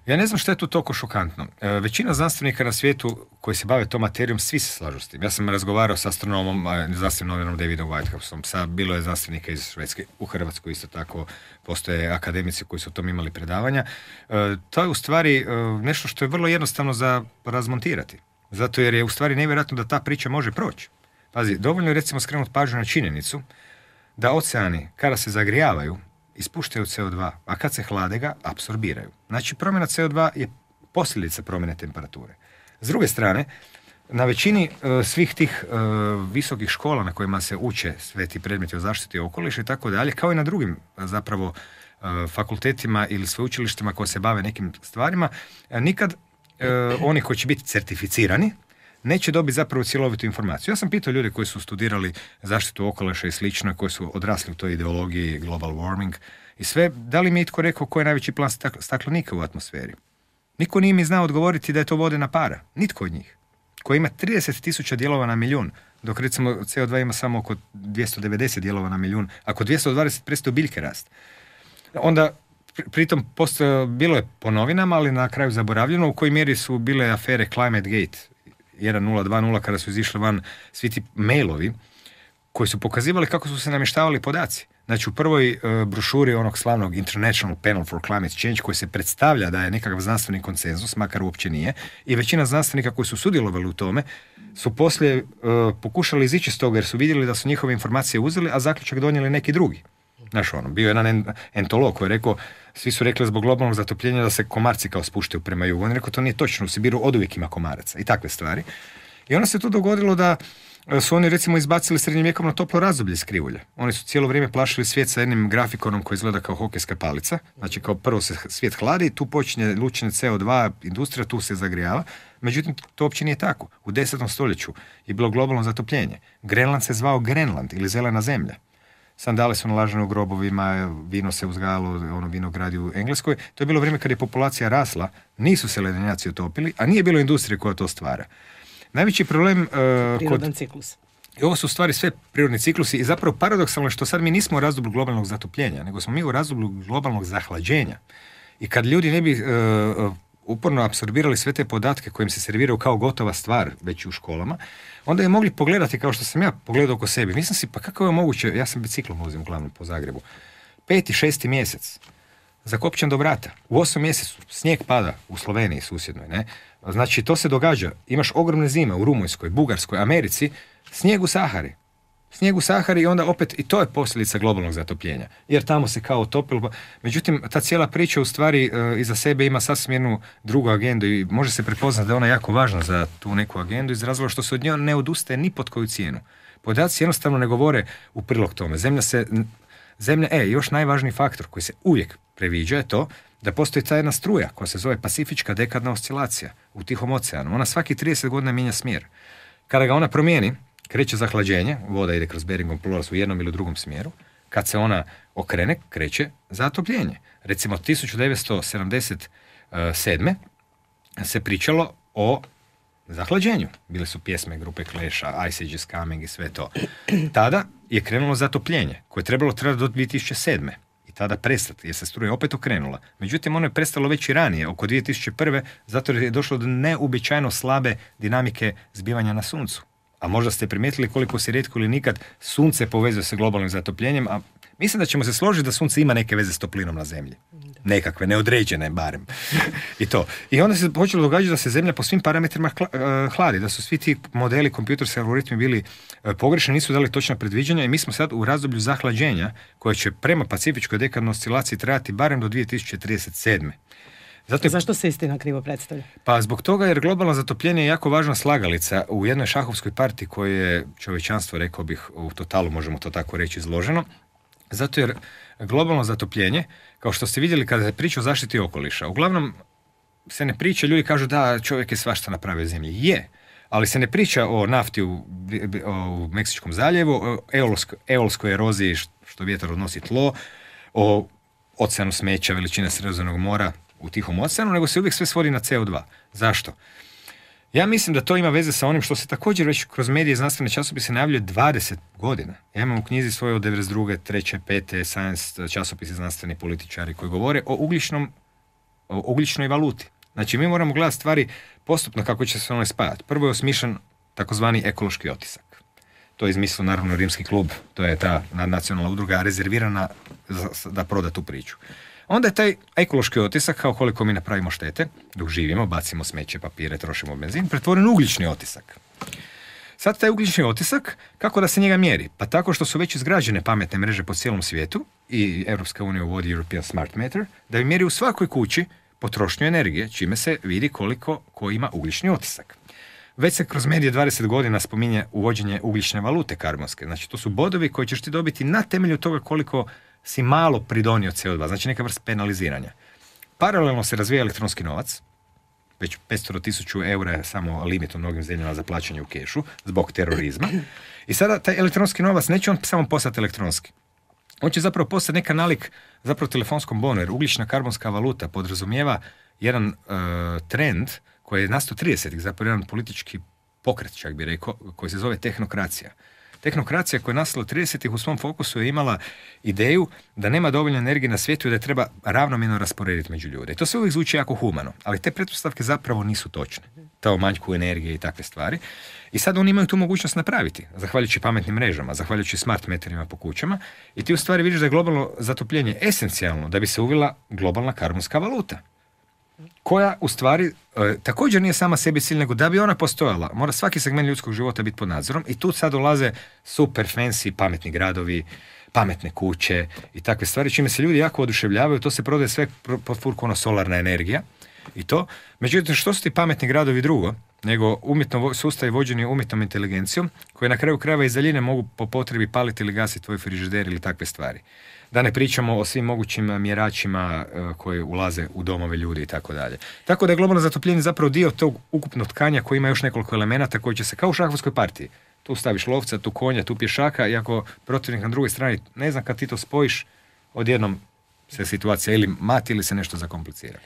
Ja ne znam što je tu toliko šokantno. Većina znanstvenika na svijetu koji se bave tom materijom, svi se slažu s tim. Ja sam razgovarao sa astronomom, znanstvenim novinom Davidom Whitehouseom, bilo je znanstvenika iz Švedske, u Hrvatskoj isto tako postoje akademici koji su o tom imali predavanja. To je u stvari nešto što je vrlo jednostavno za razmontirati. Zato jer je u stvari nevjerojatno da ta priča može proći. Pazi, dovoljno je recimo skrenuti pažnju na činjenicu da oceani, kada se zagrijavaju, ispuštaju CO2, a kad se hlade ga, apsorbiraju. Znači, promjena CO2 je posljedica promjene temperature. S druge strane, na većini svih tih visokih škola na kojima se uče sve ti predmeti o zaštiti okoliša i tako dalje, kao i na drugim zapravo fakultetima ili sveučilištima koji se bave nekim stvarima, nikad oni koji će biti certificirani neće dobiti zapravo cjelovitu informaciju. Ja sam pitao ljude koji su studirali zaštitu okoliša i slično, koji su odrasli u toj ideologiji global warming i sve, da li mi je itko rekao koji je najveći plan staklenika u atmosferi? Niko nije mi znao odgovoriti da je to vodena para. Nitko od njih. Koji ima 30.000 dijelova na milijun, dok recimo CO2 ima samo oko 290 dijelova na milijun. Ako 220 prestaju biljke rast. Onda pritom bilo je po novinama, ali na kraju zaboravljeno u kojoj mjeri su bile afere Climate Gate 1.0, kada su izišli van svi ti mailovi koji su pokazivali kako su se namještavali podaci. Znači u prvoj brošuri onog slavnog International Panel for Climate Change koji se predstavlja da je nekakav znanstveni konsenzus, makar uopće nije, i većina znanstvenika koji su sudjelovali u tome su poslije pokušali izići s toga jer su vidjeli da su njihove informacije uzeli, a zaključak donijeli neki drugi. Znaš, bio je jedan entolog koji je rekao, svi su rekli zbog globalnog zatopljenja da se komarci kao spuštaju prema jugu. On je rekao, to nije točno, u Sibiru oduvijek ima komaraca i takve stvari. I onda se to dogodilo da su oni recimo izbacili srednjovjekovno toplo razdoblje iz krivulje. Oni su cijelo vrijeme plašili svijet sa jednim grafikonom koji izgleda kao hokejska palica. Znači kao prvo se svijet hladi, tu počinje lučenje CO2, industrija, tu se zagrijava. Međutim, to uopće nije tako. U 10. stoljeću je bilo globalno zatopljenje. Grenland se zvao Grenland ili zelena zemlja. Sandale su nalažene u grobovima, vino se uzgajalo, vinogradi u Engleskoj. To je bilo vrijeme kad je populacija rasla, nisu se ledenjaci utopili, a nije bilo industrije koja to stvara. Najveći problem prirodan ciklus. I ovo su stvari sve prirodni ciklusi i zapravo paradoksalno što sad mi nismo u razdoblju globalnog zatopljenja, nego smo mi u razdoblju globalnog zahlađenja. I kad ljudi ne bi uporno apsorbirali sve te podatke kojim se serviraju kao gotova stvar već u školama, onda je mogli pogledati kao što sam ja pogledao oko sebe. Mislim si, pa kako je moguće, ja sam biciklom vozim uglavnom po Zagrebu, 5. 6. mjesec, zakopčan do vrata, u 8. mjesecu snijeg pada u Sloveniji susjednoj, ne? Znači to se događa, imaš ogromne zime u Rumunjskoj, Bugarskoj, Americi, snijeg u Sahari i onda opet i to je posljedica globalnog zatopljenja, jer tamo se kao topilo. Međutim, ta cijela priča u stvari iza sebe ima sasvim jednu drugu agendu i može se prepoznati da je ona jako važna za tu neku agendu iz razloga što se od nje ne odustaje ni pod koju cijenu. Podaci jednostavno ne govore u prilog tome. Još najvažniji faktor koji se uvijek previđa je to da postoji ta jedna struja koja se zove Pacifička dekadna oscilacija u Tihom oceanu. Ona svaki 30 godina mijenja smjer. Kada ga ona promijeni, kreće zahlađenje, voda ide kroz Beringov prolaz u jednom ili drugom smjeru. Kad se ona okrene, kreće zatopljenje. Recimo 1977. se pričalo o zahlađenju. Bile su pjesme grupe Clash-a, Ice Age is Coming i sve to. Tada je krenulo zatopljenje, koje je trebalo trajati do 2007. I tada prestati, jer se struja opet okrenula. Međutim, ono je prestalo već i ranije, oko 2001. zato je došlo do neuobičajeno slabe dinamike zbivanja na suncu. A možda ste primijetili koliko se rijetko ili nikad sunce povezuje sa globalnim zatopljenjem, a mislim da ćemo se složiti da sunce ima neke veze s toplinom na zemlji. Nekakve, neodređene barem. I to. I onda se počelo događati da se zemlja po svim parametrima hladi, da su svi ti modeli, kompjuterski algoritmi bili pogrešni, nisu dali točna predviđanja i mi smo sad u razdoblju zahlađenja koje će prema Pacifičkoj dekadnoj oscilaciji trajati barem do 2037. Zašto se istina krivo predstavlja? Pa zbog toga jer globalno zatopljenje je jako važna slagalica u jednoj šahovskoj partiji koju je čovječanstvo, rekao bih, u totalu, možemo to tako reći, izloženo. Zato jer globalno zatopljenje, kao što ste vidjeli kada se priča o zaštiti okoliša, uglavnom se ne priča, ljudi kažu da čovjek je svašta napravio zemlji. Je, ali se ne priča o nafti u Meksičkom zaljevu, o eolskoj eroziji što vjetar odnosi tlo, o oceanu smeća veličine Sredozemnog mora u Tihom oceanu, nego se uvijek sve svodi na CO2. Zašto? Ja mislim da to ima veze sa onim što se također već kroz medije i znanstvene časopise najavljuje 20 godina. Ja imam u knjizi svoje od 92. 3. 5. Science časopisi znanstveni političari koji govore o ugljičnom ugljičnoj valuti. Znači, mi moramo gledati stvari postupno kako će se ono spajati. Prvo je osmišljen takozvani ekološki otisak. To je izmislio naravno Rimski klub, to je ta nacionalna udruga rezervirana da proda tu priču. Onda je taj ekološki otisak, kao koliko mi napravimo štete, dok živimo, bacimo smeće, papire, trošimo benzin, pretvoren u ugljični otisak. Sad taj ugljični otisak, kako da se njega mjeri? Pa tako što su već izgrađene pametne mreže po cijelom svijetu i Europska unija uvodi European Smart Meter, da bi mjeri u svakoj kući potrošnju energije, čime se vidi koliko ko ima ugljični otisak. Već se kroz medije 20 godina spominje uvođenje ugljične valute karbonske. Znači, to su bodovi koji ćeš ti dobiti na temelju toga koliko si malo pridonio CO2, znači neka vrsta penaliziranja. Paralelno se razvija elektronski novac, već 500.000 eura je samo limit u mnogim zemljama za plaćanje u kešu, zbog terorizma. I sada taj elektronski novac neće on samo postati elektronski. On će zapravo postati neka nalik zapravo telefonskom bonu, jer ugljična karbonska valuta podrazumijeva jedan trend koji je nastao 30-ih, zapravo jedan politički pokret, čak bi rekao, koji se zove tehnokracija. Tehnokracija koja je nastala 30-ih u svom fokusu je imala ideju da nema dovoljno energije na svijetu i da je treba ravnomjerno rasporediti među ljude. I to sve uvijek zvuči jako humano, ali te pretpostavke zapravo nisu točne. Ta o manjku energije i takve stvari. I sad oni imaju tu mogućnost napraviti, zahvaljujući pametnim mrežama, zahvaljujući smart meterima po kućama, i ti u stvari vidiš da je globalno zatopljenje esencijalno da bi se uvela globalna karbonska valuta, koja u stvari također nije sama sebi cilj, nego da bi ona postojala, mora svaki segment ljudskog života biti pod nadzorom, i tu sad dolaze super fancy pametni gradovi, pametne kuće i takve stvari, čime se ljudi jako oduševljavaju. To se prodaje sve pod furkom ono solarna energija i to. Međutim, što su ti pametni gradovi drugo nego sustavi vođeni umjetnom inteligencijom, koji na kraju krajeva iz daljine mogu po potrebi paliti ili gasiti tvoj frižider ili takve stvari. Da ne pričamo o svim mogućim mjeračima koji ulaze u domove ljudi i tako dalje. Tako da je globalno zatopljenje zapravo dio tog ukupnog tkanja koji ima još nekoliko elemenata koji će se kao u šahovskoj partiji. Tu staviš lovca, tu konja, tu pješaka, i ako protivnik na drugoj strani ne znam kad ti to spojiš, odjednom se situacija ili mati ili se nešto zakomplicira.